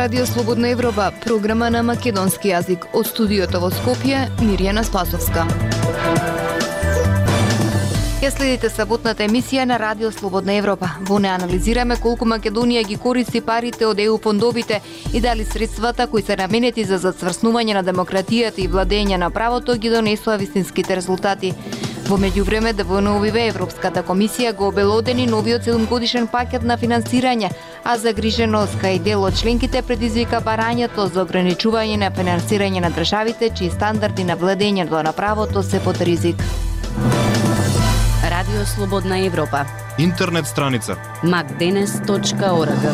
Радио Слободна Европа, програма на македонски јазик. Од студиото во Скопје, Мирјана Спасовска. Ја следите саботната емисија на Радио Слободна Европа. Во неа анализираме колку Македонија ги користи парите од ЕУ фондовите и дали средствата кои се наменети за зацврснување на демократијата и владење на правото ги донесоа вистинските резултати. Во меѓувреме ДВНУ-ве Европската комисија го обелодени новиот 7-годишен пакет на финансирање, а загриженост кај дел од членките предизвика барањето за ограничување на финансирање на државите чии стандарди на владењето на правото се под ризик. Радио Слободна Европа. Интернет страница macdenes.org.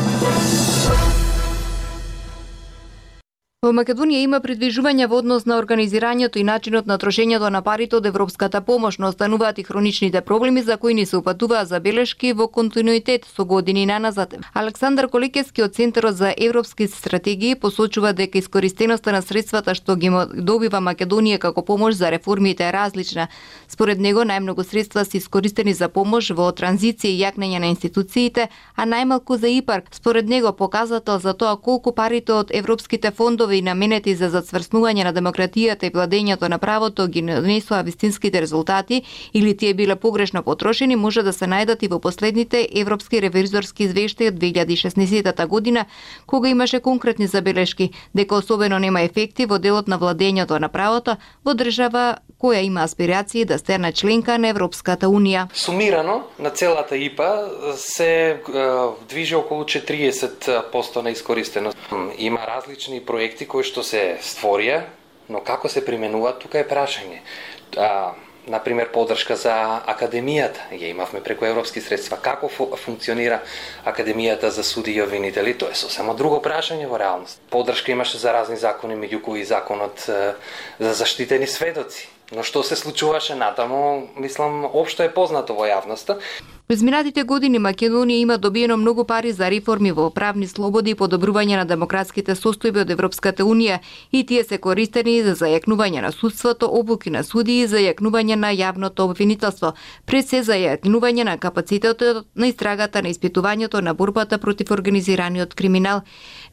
Во Македонија има придвижување во однос на организирањето и начинот на трошењето на парите од европската помош, но остануваат и хроничните проблеми за кои ни се упатуваат забелешки во континуитет со години наназад. Александар Колекевски од Центарот за европски стратегии посочува дека искористеноста на средствата што ги добива Македонија како помош за реформите е различна. Според него најмногу средства се искористени за помош во транзиција и јакнење на институциите, а најмалку за ИПАР. Според него показател за тоа колку парите од европските фондови и наменети за зацврснување на демократијата и владењето на правото ги донесоа вистинските резултати или тие биле погрешно потрошени, може да се најдат и во последните европски ревизорски извештаи од 2016 година, кога имаше конкретни забелешки дека особено нема ефекти во делот на владењето на правото во држава која има аспирации да стане членка на Европската унија. Сумирано на целата ИПА се движи околу 40% на искористеност. Има различни проекти кои што се створија, но како се применуваат, тука е прашање. Например, поддршка за академијата, ја имавме преку европски средства. Како функционира академијата за суди и обвинители, тоа е сосема друго прашање во реалност. Поддршка имаше за разни закони, меѓу кои законот за заштитени сведоци. Но што се случуваше натаму, мислам, општо е познато во јавноста. Во изминатите години Македонија има добиено многу пари за реформи во правни слободи и подобрување на демократските состојби од Европската унија и тие се користени за зајакнување на судството, обуки на судии и зајакнување на јавното обвинителство, пред се зајакнување на капацитетот на истрагата на испитувањето на борбата против организираниот криминал,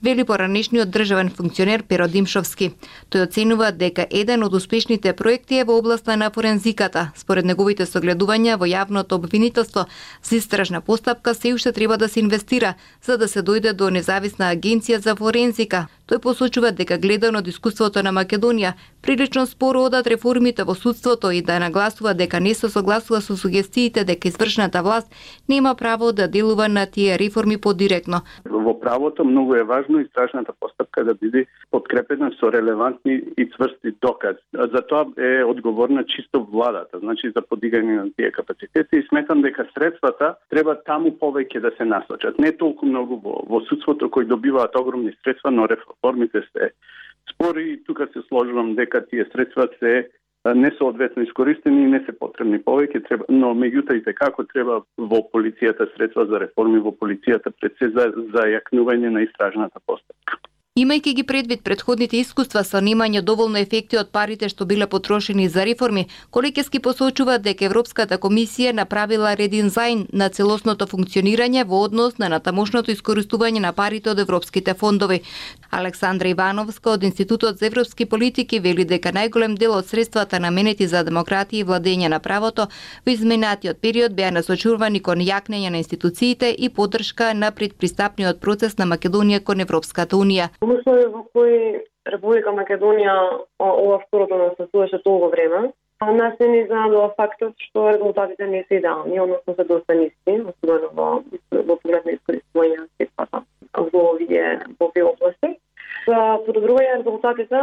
вели поранешниот државен функционер Перо Димшовски. Тој оценува дека еден од успешните проекти е во областа на форензиката. Според неговите согледувања во јавното обвинителство за истражна постапка се уште треба да се инвестира за да се дојде до независна агенција за форензика. Тој посочува дека гледано од искуството на Македонија, прилично споро одат реформите во судството и да нагласува дека не се согласува со сугестиите дека извршната власт нема право да делува на тие реформи подиректно. Во правото многу е важно истражната постапка да биде подкрепена со релевантни и цврсти докази. За тоа е одговорна чисто владата, значи за подигање на тие капацитети, и сметам дека средствата треба таму повеќе да се насочат. Не толку многу во судството кои добиваат огромни средства, но реформите се спори и тука се сложувам дека тие средства се несоодветно искористени и не се потребни повеќе, но меѓутоа и како треба во полицијата средства за реформи во полицијата пред се за зајакнување на истражната постапка. Имајќи ги предвид претходните искуства со немање доволно ефекти од парите што биле потрошени за реформи, Колекевски посочува дека Европската комисија направила редизајн на целосното функционирање во однос на натамошното искористување на парите од европските фондови. Александра Ивановска од Институтот за европски политики вели дека најголем дел од средствата наменети за демократија и владење на правото во изминатиот период беа насочувани кон јакнење на институциите и поддршка на предпристапниот процес на Македонија кон Европската унија. Услови во кои Република Македонија ова второто настасуваше толку време, нас не ни изненадува фактот што резултатите не се идеални, односно се доста ниски, особено во поглед на искористување на средствата во овие области. За подобрување резултатите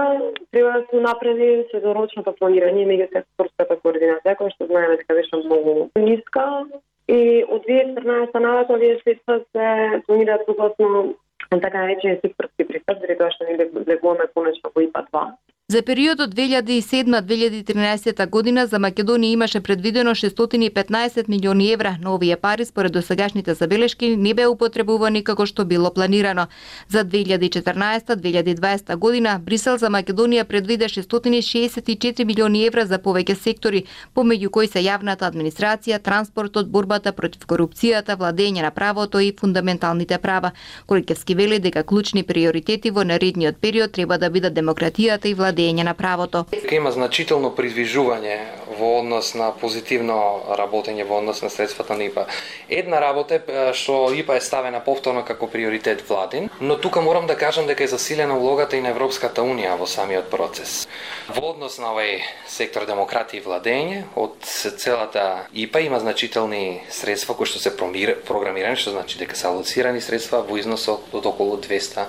треба да се направи средорочното планирање и меѓусекторската координација, која што знаеме дека беше многу ниска, и од 2014 навака овие средства се планираат согласно така наречени секторски пристап, заради тоа што ние влегуваме конечно во ИПА 2. За периодот 2007-2013 година за Македонија имаше предвидено 615 милиони евра, но овие пари според досегашните забелешки не беа употребувани како што било планирано. За 2014-2020 година Брисел за Македонија предвиде 664 милиони евра за повеќе сектори, помеѓу кои се јавната администрација, транспортот, борбата против корупцијата, владење на правото и фундаменталните права. Коликевски вели дека клучни приоритети во наредниот период треба да бидат демократијата и владење на правото. Има значително придвижување во однос на позитивно работење во однос на средствата на ИПА. Една работа е што ИПА е ставена повторно како приоритет владин, но тука морам да кажам дека е засилена улогата и на Европската Унија во самиот процес. Во однос на овој сектор демократија и владење, од целата ИПА има значителни средства кои што се програмирани, што значи дека се алоцирани средства во износ од околу 200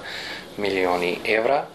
милиони евра.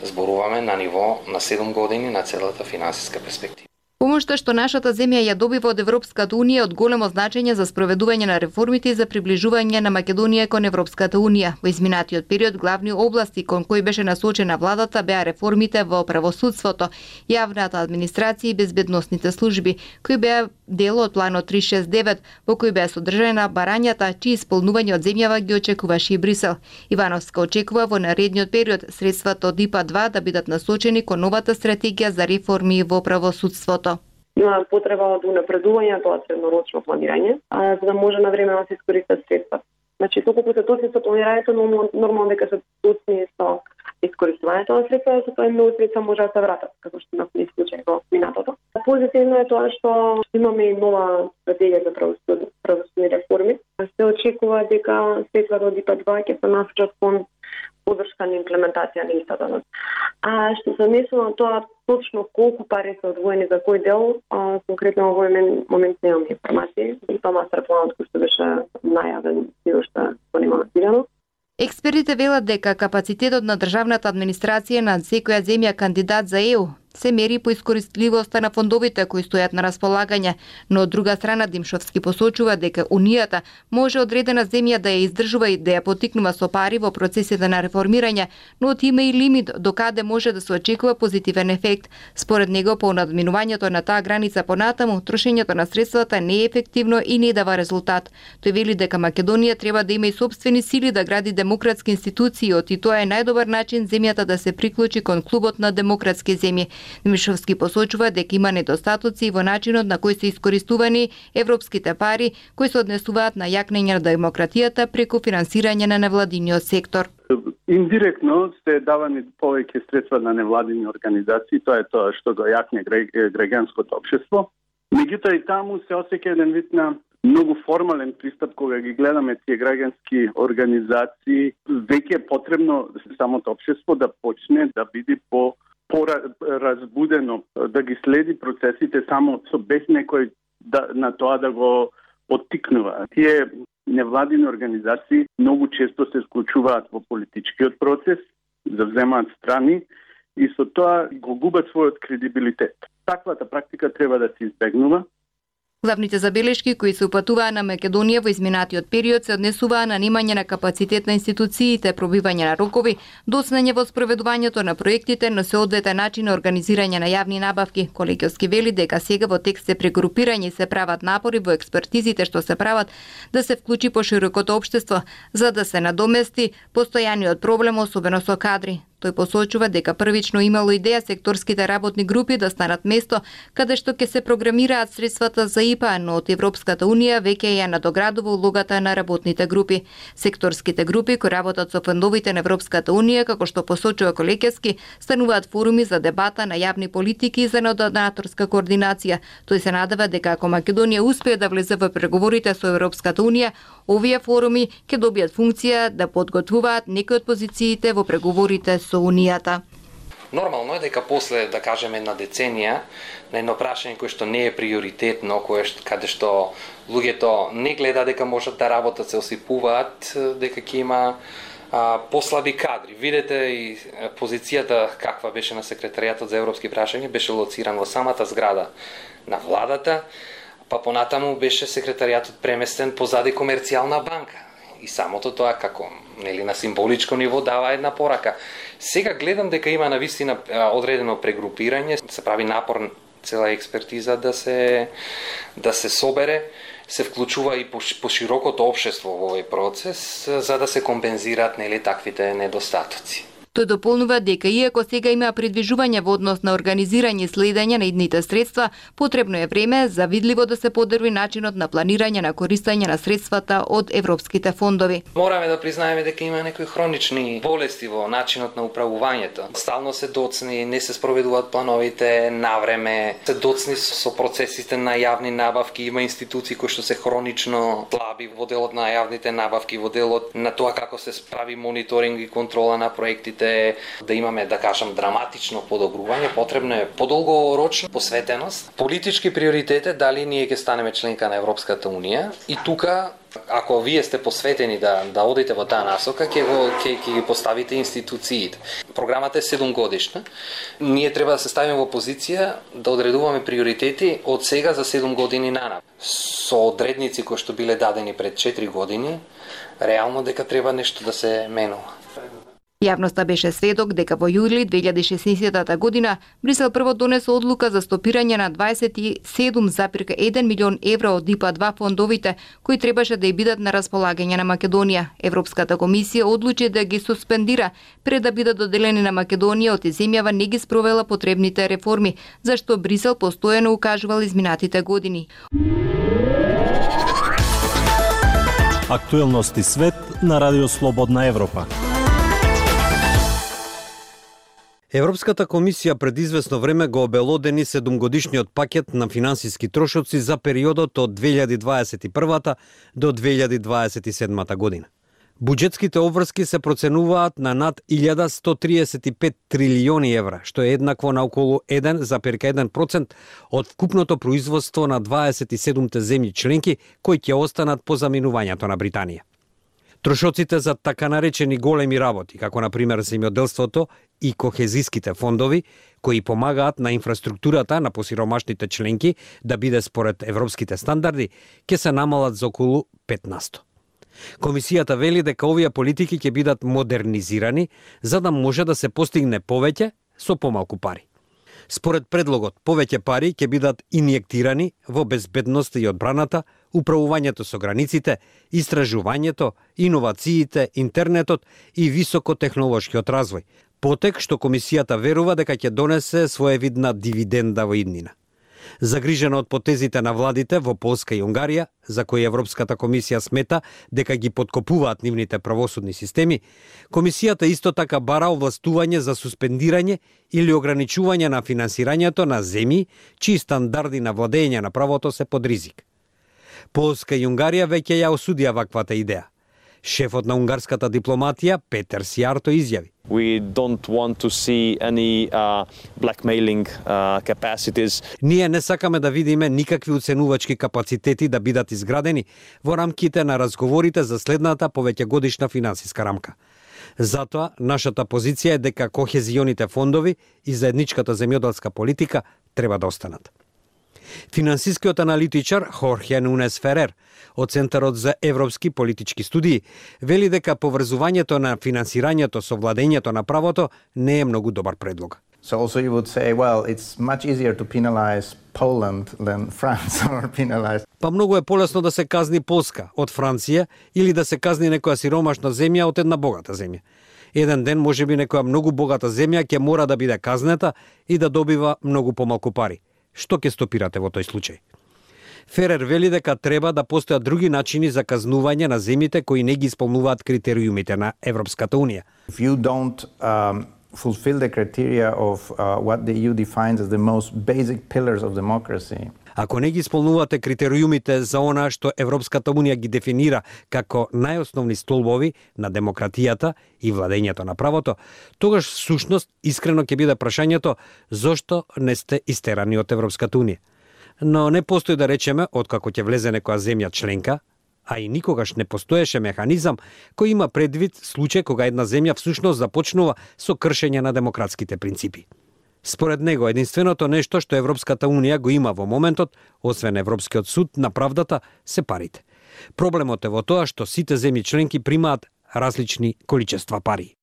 Зборуваме на ниво на 7 години на целата финансиска перспектива. Помошта што нашата земја ја добива од Европската Унија од големо значење за спроведување на реформите и за приближување на Македонија кон Европската Унија. Во изминатиот период главни области кон кои беше насочена владата беа реформите во правосудството, јавната администрација и безбедносните служби, кои беа дел од планот 369, во кој беа содржана барањата чии исполнување од земјава ги очекуваше и Брисел. Ивановска очекува во наредниот период средствата од ИПА-2 да бидат насочени кон новата стратегија за реформи во правосудството. Има потреба од унапредување тоа среднорочно планирање, за да може на време да се искористат средства. Значи, толку се точни со планирањето, но нормално дека се точни со искористувањето на средства, за тоа многу средства може да се вратат, како што имавме случај во минатото. Позитивно е тоа што имаме и нова стратегија за правосудни реформи. Се очекува дека средствата од ИПА-2 ќе се насочат кон подршка на имплементација на истата. А што се однесува на тоа точно колку пари се одвоени за кој дел, конкретно во овој момент немам информации. И тоа мастер планот кој што беше најавен и уште го нема активирано. Експертите велат дека капацитетот на државната администрација на секоја земја кандидат за ЕУ се мери по искористливоста на фондовите кои стојат на располагање, но од друга страна Димшовски посочува дека Унијата може одредена земја да ја издржува и да ја поттикнува со пари во процесите на реформирање, но има и лимит до каде може да се очекува позитивен ефект. Според него, по надминувањето на таа граница понатаму, трошењето на средствата не е ефективно и не дава резултат. Тој вели дека Македонија треба да има и сопствени сили да гради демократски институции, и тоа е најдобар начин земјата да се приклучи кон клубот на демократски земји. Димишовски посочува дека има недостатоци во начинот на кој се искористувани европските пари кои се однесуваат на јакнење на демократијата преку финансирање на невладиниот сектор. Индиректно се давани повеќе средства на невладини организации, тоа е тоа што го јакне граѓанското општество. Меѓутоа и таму се осеќа еден вид на многу формален пристап кога ги гледаме тие граѓански организации. Веќе е потребно самото општество да почне да биде поразбудено, да ги следи процесите само со без некој на тоа да го поттикнува. Тие невладини организации многу често се вклучуваат во политичкиот процес, завземаат страни и со тоа го губат својот кредибилитет. Таквата практика треба да се избегнува. Главните забелешки кои се упатуваа на Македонија во изминатиот период се однесуваа на немање на капацитет на институциите, пробивање на рокови, доцнење во спроведувањето на проектите, но се одвете начин на организирање на јавни набавки. Колегиовски вели дека сега во текст се прегрупирање и се прават напори во експертизите што се прават да се вклучи поширокото општество, за да се надомести постојаниот проблем, особено со кадри. Тој посочува дека првично имало идеја секторските работни групи да станат место каде што ќе се програмираат средствата за ИПА, но од Европската Унија веќе ја надоградува улогата на работните групи. Секторските групи кои работат со фондовите на Европската Унија, како што посочува Колекевски, стануваат форуми за дебата на јавни политики и за донаторска координација. Тој се надева дека ако Македонија успее да влезе во преговорите со Европската Унија, овие форуми ќе добијат функција да подготвуваат некои од позициите во преговорите со Унијата. Нормално е дека после, да кажеме, една деценија, на едно прашање кое што не е приоритетно, каде што луѓето не гледа дека можат да работат, се осипуваат, дека ќе има послаби кадри. Видете и позицијата каква беше на секретаријатот за европски прашања, беше лоциран во самата зграда на владата, па понатаму беше секретаријатот преместен позади комерцијална банка. и самото тоа како на символичко ниво дава една порака. Сега гледам дека има навистина одредено прегрупирање, се прави напор цела експертиза да се собере, се вклучува и по широкото општество во овој процес за да се компензираат таквите недостатоци. Тој дополнува дека иако сега има придвижување во однос на организирање и следење на идните средства, потребно е време за видливо да се подобри начинот на планирање на користење на средствата од европските фондови. Мораме да признаеме дека има некои хронични болести во начинот на управувањето. Стално се доцни, не се спроведуваат плановите навреме, се доцни со процесите на јавни набавки, има институции кои што се хронично слаби во делот на јавните набавки, во делот на тоа како се прави мониторинг и контрола на проектите. Да имаме, да кажам, драматично подобрување, потребно е подолгорочна посветеност. Политички приоритет е дали ние ќе станеме членка на Европската Унија и тука, ако вие сте посветени да одите во таа насока, ќе ги поставите институциите. Програмата е 7 годишна. Ние треба да се ставиме во позиција да одредуваме приоритети од сега за 7 години нанапред. Со одредници кои што биле дадени пред 4 години, реално дека треба нешто да се менува. Јавноста беше сведок дека во јули 2016 година Брисел прво донесе одлука за стопирање на 27,1 милион евра од ИПА-2 фондовите кои требаше да ја бидат на располагање на Македонија. Европската комисија одлучи да ги суспендира пред да бидат доделени на Македонија, оти земјава не ги спровела потребните реформи, зашто Брисел постојано укажувал изминатите години. Актуелности свет на Радио Слободна Европа. Европската комисија пред известно време го обелодени 7-годишниот пакет на финансиски трошоци за периодот од 2021 до 2027 година. Буџетските обврски се проценуваат на над 1135 трилиони евра, што е еднакво на околу 1,1% од вкупното производство на 27 земји членки кои ќе останат по заминувањето на Британија. Трошоците за така наречени големи работи, како на пример земјоделството и кохезиските фондови, кои помагаат на инфраструктурата на посиромашните членки да биде според европските стандарди, ќе се намалат за околу 15%. Комисијата вели дека овие политики ќе бидат модернизирани за да може да се постигне повеќе со помалку пари. Според предлогот, повеќе пари ќе бидат инјектирани во безбедноста и одбраната, управувањето со границите, истражувањето, иновациите, интернетот и високотехнолошкиот развој. Потек што комисијата верува дека ќе донесе своевидна дивиденда во иднина. Загрижена од потезите на владите во Полска и Унгарија, за кои Европската комисија смета дека ги подкопуваат нивните правосудни системи, комисијата исто така бара овластување за суспендирање или ограничување на финансирањето на земји чии стандарди на владење на правото се под ризик. Полска и Унгарија веќе ја осудија ваквата идеја. Шефот на унгарската дипломатија Петер Сијарто изјави: We don't want to see any blackmailing capacities. Ние не сакаме да видиме никакви уценувачки капацитети да бидат изградени во рамките на разговорите за следната повеќегодишна финансиска рамка. Затоа, нашата позиција е дека кохезионите фондови и заедничката земјоделска политика треба да останат. Финансискиот аналитичар Хорхе Нунес Ферер од Центарот за европски политички студии вели дека поврзувањето на финансирањето со владењето на правото не е многу добар предлог. So also you would say, well, it's much easier to penalize Poland than France or penalize. Па многу е полесно да се казни Полска од Франција или да се казни некоја сиромашна земја од една богата земја. Еден ден можеби некоја многу богата земја ќе мора да биде казнета и да добива многу помалку пари. Што ќе стопирате во тој случај? Ферер вели дека треба да постојат други начини за казнување на земјите кои не ги исполнуваат критериумите на Европската Унија. If you don't fulfill the criteria of what the EU defines as the most basic pillars of democracy. Ако не ги исполнувате критериумите за она што Европската Унија ги дефинира како најосновни столбови на демократијата и владењето на правото, тогаш всушност искрено ќе биде прашањето зошто не сте истерани од Европската Унија. Но не постои да речеме откако ќе влезе некоја земја членка, а и никогаш не постоеше механизам кој има предвид случај кога една земја всушност започнува со кршење на демократските принципи. Според него, единственото нешто што Европската Унија го има во моментот, освен Европскиот суд на правдата, се парите. Проблемот е во тоа што сите земји членки примаат различни количества пари.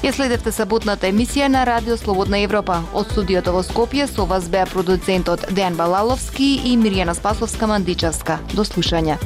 Ја следевте саботната емисија на Радио Слободна Европа. Од студиото во Скопје со вас беа продуцентот Дејан Балаловски и Мирјана Спасовска-Мандичевска. До слушање.